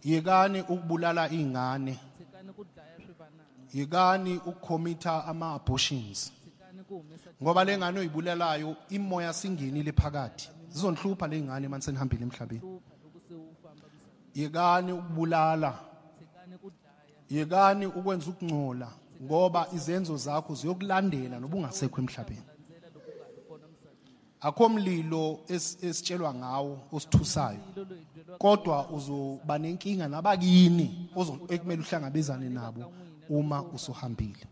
Yekani ukubulala izingane. Tshikani ku dlaya swivanana. Yekani ukukhomitha ama-abortions. Tshikani ku humesa. Ngoba le ngane oyibulalayo imoya singenile phakathi, zizonihlupha le ngane manje senihambile emhlabeni. Hlupha loko se u famba misaveni. Yekani ukubulala. Tshikani ku dlaya. Yekani ukwenza ukungcola, ngoba izenzo zakho ziyokulandela noba ungasekho emhlabeni. Landzela loko u nga ri kona misaveni. Akho mlilo esitshelwa ngawo osithusayo, Mlilo loyi byeliwaka kodwa uzoba nenkinga nabakini ekumele uhlangabezane nabo uma usuhambile.